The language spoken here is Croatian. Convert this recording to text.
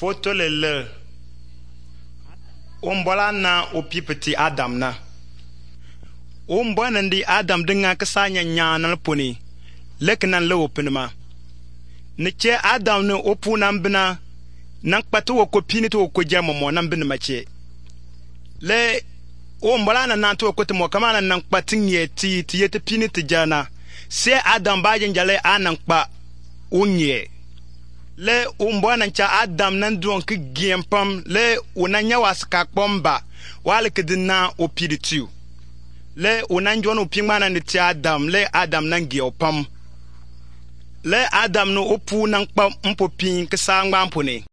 Foto le ombola na opipeti Adam na. Ombona ndi Adam dinga kasanya nyanal puni. Leknan le openma. Niche Adam ne opuna mbina nang patu wo kopini to ko jamo mo nan bin mache. Le ombola na nanto ko te mo kamana nang patin yeti yete pini te jana. Se Adam ba jale anang pa unye. Le umbwana cha Adam nan duon ki giempam le unanya waska pomba wale kedina opiritu. Le unanjwan upingmana ni ti Adam le Adam nan giopam. Le Adam no opu nang pa mpopin kisa ngbampone.